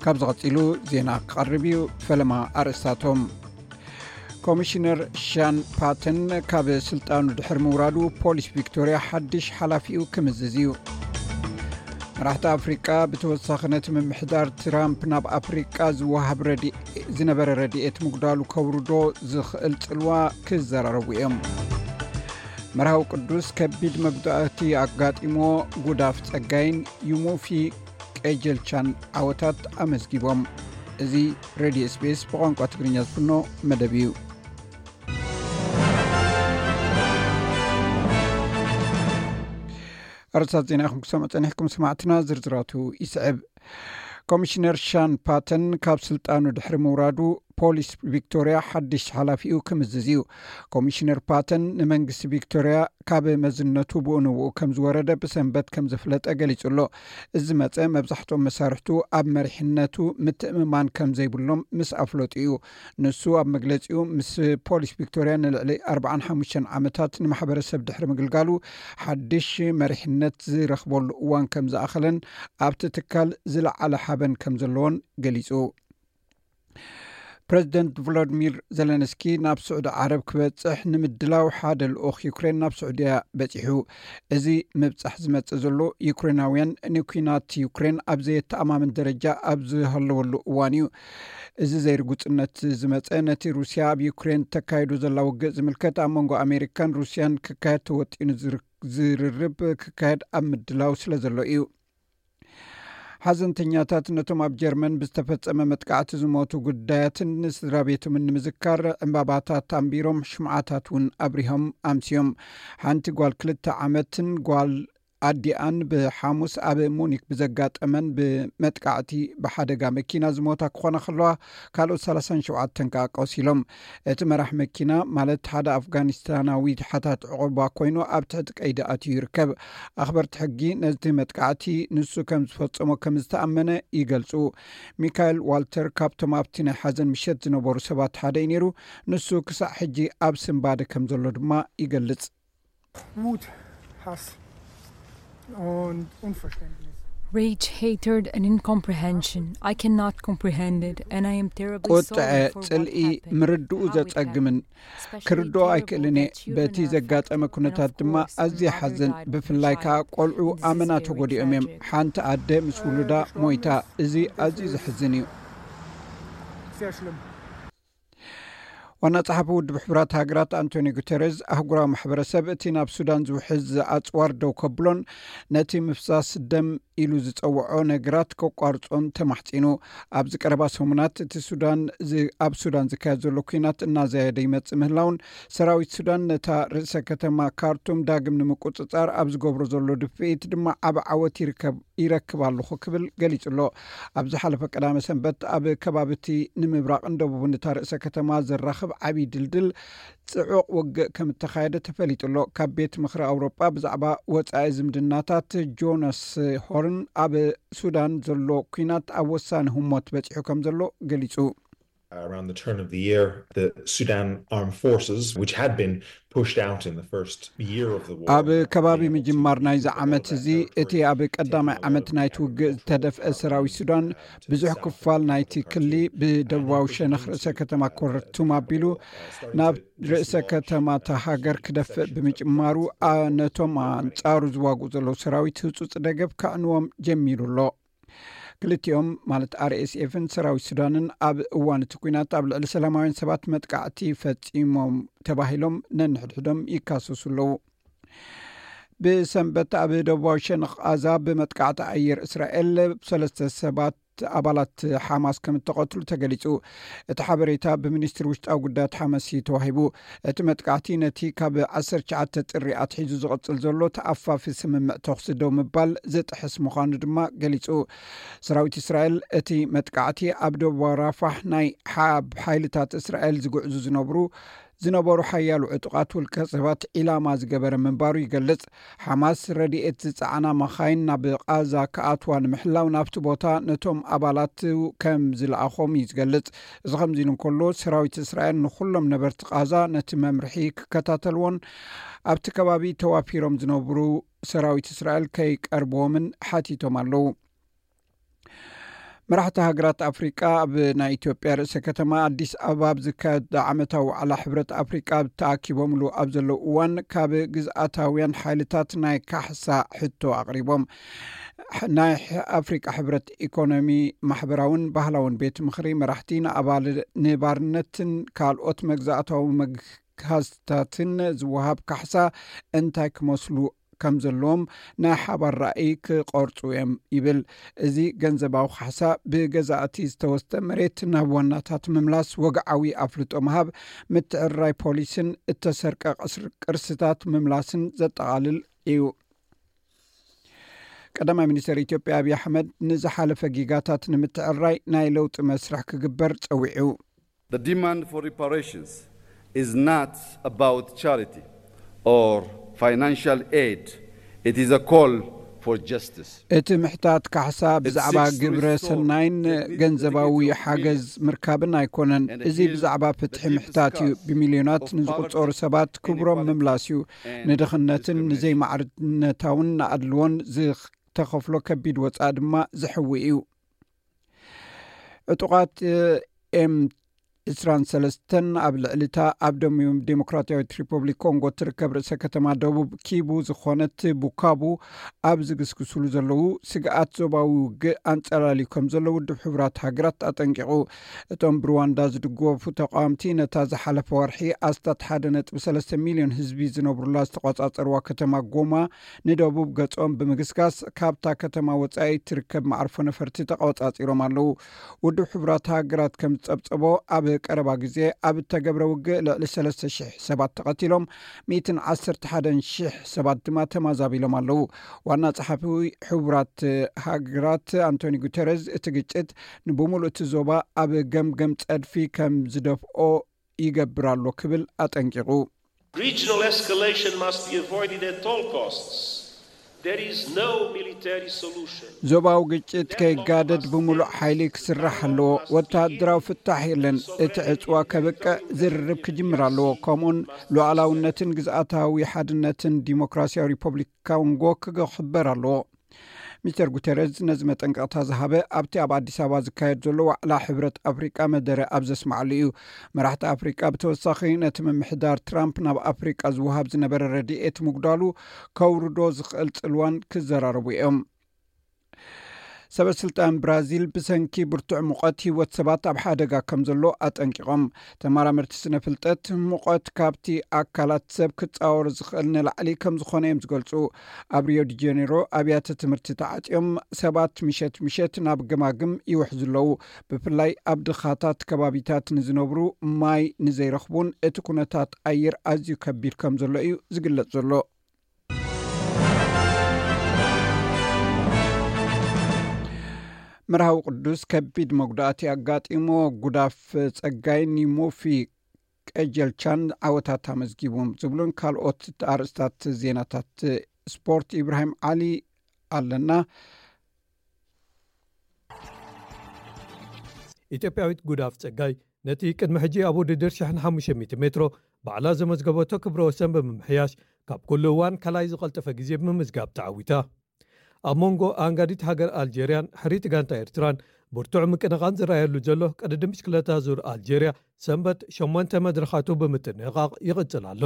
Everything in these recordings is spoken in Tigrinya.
ካብዚ ቀጺሉ ዜና ክቐርብ እዩ። ፈለማ ኣርእስታቶም። ኮሚሽነር ሻን ፓተን ካብ ስልጣኑ ድሕሪ ምውራዱ፣ ፖሊስ ቪክቶርያ ሓድሽ ሓላፊኡ ክምዝዝ እዩ። መራሕቲ ኣፍሪቃ ብተወሳኺ ነቲ ምምሕዳር ትራምፕ ናብ ኣፍሪቃ ዝወሃብ ረድኤ-፣ ዝነበረ ረድኤት ምጉዳሉ ከውርዶ ዝኽእል ጽልዋ ክዘራረቡ እዮም። መርሃዊ ቅዱስ ከቢድ መጉዳእቲ ኣጋጢሞ፣ ጉዳፍ ጸጋይን ዩሙፊ ቀጀልቻን ዓወታት ኣመዝጊቦም። እዚ ሬድዮ ኤስቢኤስ ብቋንቋ ትግርኛ ዝፍኖ መደብ እዩ። ኣርእስታት ዜና ኢኹም ክሰምዑ ጸኒሕኩም ሰማዕትና፣ ዝርዝራቱ ይስዕብ። ኮሚሽነር ሻን ፓተን ካብ ስልጣኑ ድሕሪ ምውራዱ፣ ፖሊስ ቪክቶርያ ሓድሽ ሓላፊኡ ክምዝዝ እዩ። ኮሚሽነር ፓተን ንመንግስቲ ቪክቶርያ ካብ መዝነቱ ብኡ ንብኡ ከም ዝወረደ ብሰንበት ከም ዘፍለጠ ገሊጹ ኣሎ። እዚ መጸ መብዛሕትኦም መሳርሕቱ ኣብ መሪሕነቱ ምትእምማን ከም ዘይብሎም ምስ ኣፍለጡ እዩ። ንሱ ኣብ መግለጺኡ፣ ምስ ፖሊስ ቪክቶርያ ንልዕሊ ኣርባዓን ሓሙሽተን ዓመታት ንማሕበረሰብ ድሕሪ ምግልጋሉ፣ ሓድሽ መሪሕነት ዝረኽበሉ እዋን ከም ዝኣኸለን ኣብቲ ትካል ዝለዓለ ሓበን ከም ዘለዎን ገሊጹ። ፕረዚደንት ቮሎዲሚር ዘለንስኪ ናብ ስዑዲ ዓረብ ክበጽሕ ንምድላው ሓደ ልኡኽ ዩክሬን ናብ ስዑድያ በጺሑ። እዚ ምብጻሕ ዝመጽእ ዘሎ፣ ዩክሬናውያን ንኲናት ዩክሬን ኣብ ዘየተኣማምን ደረጃ ኣብ ዝሃለወሉ እዋን እዩ። እዚ ዘይርጉጽነት ዝመጸ፣ ነቲ ሩስያ ኣብ ዩክሬን ተካይዶ ዘላ ውግእ ዝምልከት፣ ኣብ መንጎ ኣሜሪካን ሩስያን ክካየድ ተወጢኑ ዝር-፣ ዝርርብ ክካየድ ኣብ ምድላው ስለ ዘሎ እዩ። ሓዘንተኛታት ነቶም ኣብ ጀርመን ብዝተፈጸመ መጥቃዕቲ ዝሞቱ ጉዳያትን ንስድራ ቤቶምን ንምዝካር ዕምባባታት ኣንቢሮም፣ ሽምዓታት እውን ኣብሪሆም ኣምስዮም። ሓንቲ ጓል ክልተ ዓመትን ጓል ኣዲኣን ብሓሙስ ኣብ ሙኒክ ብዘጋጠመን ብመጥቃዕቲ ብሓደጋ መኪና ዝሞታ ክኾና ከለዋ፣ ካልኦት ሰላሳን ሸውዓተን ከኣ ቆሲሎም። እቲ መራሕ መኪና፣ ማለት ሓደ ኣፍጋኒስታናዊ ሓታት ዕቑባ ኮይኑ፣ ኣብ ትሕቲ ቀይዲ ኣትዩ ይርከብ። ኣኽበርቲ ሕጊ ነቲ መጥቃዕቲ ንሱ ከም ዝፈጸሞ ከም ዝተኣመነ ይገልጹ። ሚካኤል ዋልተር ካብቶም ኣብቲ ናይ ሓዘን ምሸት ዝነበሩ ሰባት ሓደ እዩ ነይሩ። ንሱ ክሳዕ ሕጂ ኣብ ስንባደ ከም ዘሎ ድማ ይገልጽ። Wut, Hass und Unverständnis. Rage, hatred, and incomprehension. I cannot comprehend it, and I am terribly ቁጥዐ፣ sorry for what ጽልኢ፣ happened. ምርድኡ How it ዘጸግምን happened. Especially ክርድኦ terrible ኣይክእልን እየ። that children በቲ are ዘጋጠመ affected, and ኩነታት of ድማ course, a ኣዝየ mother ሓዘን፣ died of a ብፍላይ ከኣ child. ቆልዑ This is ኣመና very ተጎዲኦም እዮም። tragic. ሓንቲ ኣደ ምስ ውሉዳ ሞይታ። እዚ ኣዝዩ ዘሕዝን እዩ። Sehr schlimm. ዋና ጸሓፊ ውድብ ሕቡራት ሃገራት ኣንቶኒ ጉተረዝ፣ ኣህጉራዊ ማሕበረሰብ እቲ ናብ ሱዳን ዝውሕዝ ኣጽዋር ደው ከብሎን ነቲ ምፍሳስ ደም ኢሉ ዝጸውዖ ነገራት ከቋርጾን ተማሕጺኑ። ኣብዚ ቀረባ ሰሙናት እቲ ሱዳን ዝ-፣ ኣብ ሱዳን ዝካየድ ዘሎ ኲናት እናዘየደ ይመጽእ ምህላውን፣ ሰራዊት ሱዳን ነታ ርእሰ ከተማ ካርቱም ዳግም ንምቁጽጻር ኣብ ዝገብሮ ዘሎ ድፍኢት ድማ ዓቢ ዓወት ይርከብ፣ ይረክብ ኣለኹ ክብል ገሊጹ ኣሎ። ኣብ ዝሓለፈ ቀዳመ ሰንበት ኣብ ከባቢ እቲ ንምብራቕን ደቡብን እታ ርእሰ ከተማ ዘራኽብ ዓቢ ድልድል ጽዑቕ ውግእ ከም እተኻየደ ተፈሊጡ ኣሎ። ካብ ቤት ምኽሪ ኣውሮጳ ብዛዕባ ወጻኢ ዝምድናታት ጆናስ ሆርን፣ ኣብ ሱዳን ዘሎ ኲናት ኣብ ወሳኒ ህሞት በጺሑ ከም ዘሎ ገሊጹ። Around the turn of the year, the Sudan Armed Forces, which had been pushed out in the first year of the war, ኣብ ከባቢ ምጅማር ናይዚ ዓመት እዚ፣ እቲ ኣብ ቀዳማይ ዓመት ናይቲ ውግእ ዝተደፍአ ሰራዊት ሱዳን ብዙሕ ክፋል ናይቲ ክሊ ብደቡባዊ ሸነኽ ርእሰ ከተማ ኮርቱም ኣቢሉ ናብ ርእሰ ከተማ እታ ሃገር ክደፍእ ብምጅማሩ፣ ኣ-፣ ነቶም ኣንጻሩ ዝዋግኡ ዘለዉ ሰራዊት ህጹጽ ደገፍ ከዕንዎም ጀሚሩ ኣሎ። ክልቲኦም፣ ማለት ኣርኤስኤፍን ሰራዊት ሱዳንን፣ ኣብ እዋን እቲ ኲናት ኣብ ልዕሊ ሰላማውያን ሰባት መጥቃዕቲ ፈጺሞም ተባሂሎም ነንሕድሕዶም ይካሰሱ ኣለዉ። ብሰንበት ኣብ ደቡባዊ ሸነኽ ቓዛ ብመጥቃዕቲ ኣየር እስራኤል ሰለስተ ሰባት ኣባላት ሓማስ ከም እተቐትሉ ተገሊጹ። እቲ ሓበሬታ ብሚኒስትሪ ውሽጣዊ ጉዳያት ሓማስ እዩ ተዋሂቡ። እቲ መጥቃዕቲ ነቲ ካብ ዓሰርተ ትሽዓተ ጥሪ ኣትሒዙ ዝቕጽል ዘሎ ተኣፋፊ ስምምዕ ተኹሲ ደው ምባል ዝጥሕስ ምዃኑ ድማ ገሊጹ። ሰራዊት እስራኤል እቲ መጥቃዕቲ ኣብ ደቡባዊ ራፋሕ ናይ ሓ-፣ ሓይልታት እስራኤል ዝጉዕዙ ዝነብሩ፣ ዝነበሩ ሓያሎ ዕጡቓት ውልቀ ሰባት ዒላማ ዝገበረ ምንባሩ ይገልጽ። ሓማስ ረድኤት ዝጸዓና መኻይን ናብ ቓዛ ክኣትዋ ንምሕላው ናብቲ ቦታ ነቶም ኣባላት ከም ዝለኣኾም እዩ ዝገልጽ። እዚ ከምዚ ኢሉ እንከሎ፣ ሰራዊት እስራኤል ንኹሎም ነበርቲ ቓዛ ነቲ መምርሒ ክከታተልዎን ኣብቲ ከባቢ ተዋፊሮም ዝነብሩ ሰራዊት እስራኤል ከይቀርብዎምን ሓቲቶም ኣለዉ። መራሕቲ ሃገራት ኣፍሪቃ ኣብ ናይ ኢትዮጵያ ርእሰ ከተማ ኣዲስ ኣበባ ኣብ ዝካየድ ዓመታዊ ዋዕላ ሕብረት ኣፍሪቃ ተኣኪቦምሉ ኣብ ዘለዉ እዋን፣ ካብ ግዝኣታውያን ሓይልታት ናይ ካሕሳ ሕቶ ኣቕሪቦም። ናይ ኣፍሪቃ ሕብረት ኢኮኖሚ፣ ማሕበራውን ባህላውን ቤት ምኽሪ መራሕቲ ንኣባል ንባርነትን ካልኦት መግዛእታዊ መግሃዝታትን ዝወሃብ ካሕሳ እንታይ ክመስሉ ከም ዘለዎም ናይ ሓባር ራእይ ክቐርጹ እዮም ይብል። እዚ ገንዘባዊ ካሕሳ ብገዛእቲ ዝተወስደ መሬት ናብ ዋናታት ምምላስ፣ ወግዓዊ ኣፍልጦ ምሃብ፣ ምትዕርራይ ፖሊስን እተሰርቀ ቅስር-፣ ቅርስታት ምምላስን ዘጠቓልል እዩ። ቀዳማይ ሚኒስትር ኢትዮጵያ ኣብይ ኣሕመድ ንዝሓለፈ ጊጋታት ንምትዕርራይ ናይ ለውጢ መስርሕ ክግበር ጸዊዑ። The demand for reparations is not about charity or financial aid. It is a call for justice. እቲ ምሕታት ካሕሳ ብዛዕባ ግብረ ሰናይን ገንዘባዊ ሓገዝ ምርካብን ኣይኮነን። እዚ ብዛዕባ ፍትሒ ምሕታት እዩ። ብሚልዮናት ንዝቑጸሩ ሰባት ክብሮም ምምላስ እዩ። ንድኽነትን ንዘይማዕርነታውን ንኣድልዎን ዝተኸፍሎ ከቢድ ወጻኢ ድማ ዝሕዊ እዩ። ዕጡቓት ኤም ዕስራን ሰለስተን ኣብ ልዕሊታ ኣብ ደቡብ ዴሞክራሲያዊት ሪፐብሊክ ኮንጎ ትርከብ ርእሰ ከተማ ደቡብ ኪቡ ዝኾነት ቡካቡ ኣብ ዝግስግስሉ ዘለዉ፣ ስግኣት ዞባዊ ውግእ ኣንጸላልዩ ከም ዘሎ ውድብ ሕቡራት ሃገራት ኣጠንቂቑ። እቶም ብሩዋንዳ ዝድገፉ ተቃወምቲ ነታ ዝሓለፈ ወርሒ ኣስታት ሓደ ነጥቢ ሰለስተ ሚልዮን ህዝቢ ዝነብሩላ ዝተቆጻጸርዋ ከተማ ጎማ ንደቡብ ገጾም ብምግስጋስ፣ ካብታ ከተማ ወጻኢ ትርከብ መዓርፎ ነፈርቲ ተቆጻጺሮም ኣለዉ። ውድብ ሕቡራት ሃገራት ከም ዝጸብጸቦ፣ ኣብ ቀረባ ግዜ ኣብ እተገብረ ውግእ ልዕሊ ሰለስተ ሽሕ ሰባት ተቐቲሎም፣ ሚእትን ዓሰርተ ሓደን ሽሕ ሰባት ድማ ተማዛቢሎም ኣለዉ። ዋና ጸሓፊ ሕቡራት ሃገራት ኣንቶኒ ጉተረዝ፣ እቲ ግጭት ንብምሉእ እቲ ዞባ ኣብ ገምገም ጸድፊ ከም ዝደፍኦ ይገብር ኣሎ ክብል ኣጠንቂቑ። Regional escalation must be avoided at all costs. There is no military solution. ዞባዊ ግጭት ከይጋደድ ብምሉእ ሓይሊ ክስራሕ ኣለዎ። ወተሃደራዊ ፍታሕ የለን። እቲ ዕጽዋ ከብቅዕ ዝርርብ ክጅምር ኣለዎ። ከምኡን ሉዓላውነትን ግዝኣታዊ ሓድነትን ዲሞክራሲያዊ ሪፐብሊክ ኮንጎ ክኽበር ኣለዎ። ሚስተር ጉተረዝ ነዚ መጠንቀቕታ ዝሃበ ኣብቲ ኣብ ኣዲስ ኣበባ ዝካየድ ዘሎ ዋዕላ ሕብረት ኣፍሪቃ መደረ ኣብ ዘስምዓሉ እዩ። መራሕቲ ኣፍሪቃ ብተወሳኺ ነቲ ምምሕዳር ትራምፕ ናብ ኣፍሪቃ ዝወሃብ ዝነበረ ረድኤት ምጉዳሉ ከውርዶ ዝኽእል ጽልዋን ክዘራረቡ እዮም። ሰበ ስልጣን ብራዚል ብሰንኪ ብርቱዕ ሙቐት ህይወት ሰባት ኣብ ሓደጋ ከም ዘሎ ኣጠንቂቖም። ተመራመርቲ ስነ ፍልጠት፣ ሙቐት ካብቲ ኣካላት ሰብ ክጻወር ዝኽእል ንላዕሊ ከም ዝኾነ እዮም ዝገልጹ። ኣብ ሪዮ ዲ ጀኔሮ ኣብያተ ትምህርቲ ተዓጽዮም፣ ሰባት ምሸት ምሸት ናብ ገማግም ይውሕዙ ኣለዉ። ብፍላይ ኣብ ድኻታት ከባቢታት ንዝነብሩ፣ ማይ ንዘይረኽቡን እቲ ኩነታት ኣየር ኣዝዩ ከቢድ ከም ዘሎ እዩ ዝግለጽ ዘሎ። መርሃዊ ቅዱስ ከቢድ መጉዳእቲ ኣጋጢሞ፣ ጉዳፍ ጸጋይ ኒሞፊ ቀጀልቻን ዓወታት ኣመዝጊቡ ዝብሉን ካልኦት ኣርእስታት ዜናታት ስፖርት ኢብራሂም ዓሊ ኣለና። ኢትዮጵያዊት ጉዳፍ ጸጋይ ነቲ ቅድሚ ሕጂ ኣብ ውድድር ሽሕን ሓሙሽተ ሚእቲ ሜትሮ ባዕላ ዘመዝገበቶ ክብረ ወሰን ብምምሕያሽ፣ ካብ ኩሉ እዋን ካልኣይ ዝቐልጠፈ ግዜ ብምምዝጋብ ተዓዊታ። ኣብ መንጎ ኣንጋዲት ሃገር ኣልጀርያን ሕሪት ጋንታ ኤርትራን ብርቱዕ ምቅንቓን ዝረኣየሉ ዘሎ ቅድድም ብሽክለታ ዙር ኣልጀርያ፣ ሰንበት ሸሞንተ መድረኻቱ ብምጥንቓቕ ይቕጽል ኣሎ።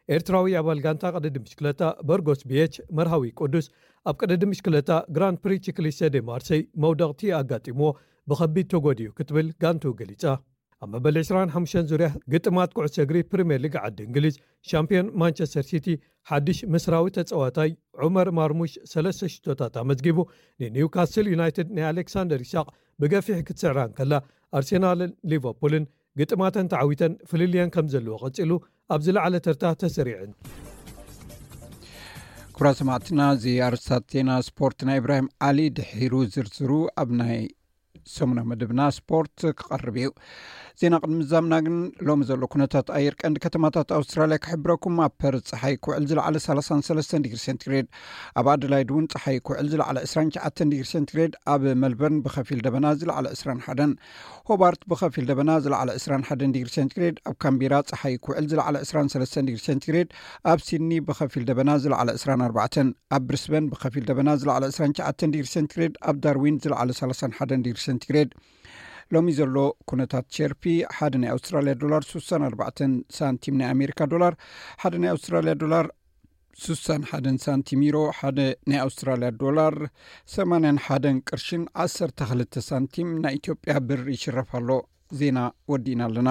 ኤርትራዊ ኣባል ጋንታ ቅድድም ብሽክለታ በርጎስ ቢኤች መርሃዊ ቅዱስ፣ ኣብ ቅድድም ብሽክለታ ግራንድ ፕሪ ቺክሊስተ ዴ ማርሴይ መውደቕቲ ኣጋጢምዎ ብኸቢድ ተጎዲኡ ክትብል ጋንቱ ገሊጻ። ኣብ መበል ዕስራን ሓሙሽተን ዙርያ ግጥማት ኩዕሶ እግሪ ፕሪምየር ሊግ ዓዲ እንግሊዝ፣ ሻምፒዮን ማንቸስተር ሲቲ ሓድሽ ምስራዊ ተጻዋታይ ዑመር ማርሙሽ ሰለስተ ሽቶታት ኣመዝጊቡ፣ ንኒውካስል ዩናይትድ ናይ ኣሌክሳንደር ኢሳቕ ብገፊሕ ክትስዕራ እንከላ፣ ኣርሴናልን ሊቨርፑልን ግጥማተን ተዓዊተን ፍልልየን ከም ዘለዎ ቀጺሉ ኣብ ዝለዓለ ተርታ ተሰሪዐን። ክቡራት ሰማዕትና፣ እዚ ኣርእስታት ዜና ስፖርት ናይ ኢብራሂም ዓሊ ድሒሩ ዝርዝሩ ኣብ ናይ ሰሙናዊ መደብና ስፖርት ክቐርብ እዩ። ዜና ቅድሚ ምዛምና ግን፣ ሎሚ ዘሎ ኩነታት ኣየር ቀንዲ ከተማታት ኣውስትራልያ ክሕብረኩም። ኣብ ፐርዝ ጸሓይ ክውዕል ዝለዓለ ሰላሳን ሰለስተን ዲግሪ ሴንቲግሬድ፣ ኣብ ኣደላይድ እውን ጸሓይ ክውዕል ዝለዓለ ዕስራን ትሽዓተን ዲግሪ ሴንቲግሬድ፣ ኣብ መልበርን ብኸፊል ደበና ዝለዓለ ዕስራን ሓደን፣ ሆባርት ብኸፊል ደበና ዝለዓለ ዕስራን ሓደን ዲግሪ ሴንቲግሬድ፣ ኣብ ካምቢራ ጸሓይ ክውዕል ዝለዓለ ዕስራን ሰለስተን ዲግሪ ሴንቲግሬድ፣ ኣብ ሲድኒ ብኸፊል ደበና ዝለዓለ ዕስራን ኣርባዕተን፣ ኣብ ብሪስበን ብኸፊል ደበና ዝለዓለ ዕስራን ትሽዓተን ዲግሪ ሴንቲግሬድ፣ ኣብ ዳርዊን ዝለዓለ ሰላሳን ሓደን ዲግሪ ሴንቲግሬድ። ሎሚ ዘሎ ኩነታት ሸርፊ፣ ሓደ ናይ ኣውስትራልያ ዶላር ስሳን ኣርባዕተን ሳንቲም፣ ናይ ኣሜሪካ ዶላር ሓደ ናይ ኣውስትራልያ ዶላር ስሳን ሓደን ሳንቲም፣ ዩሮ ሓደ ናይ ኣውስትራልያ ዶላር ሰማንያን ሓደን ቅርሽን ዓሰርተ ክልተ ሳንቲም፣ ናይ ኢትዮጵያ ብር ይሽረፍ ኣሎ። ዜና ወዲእና ኣለና።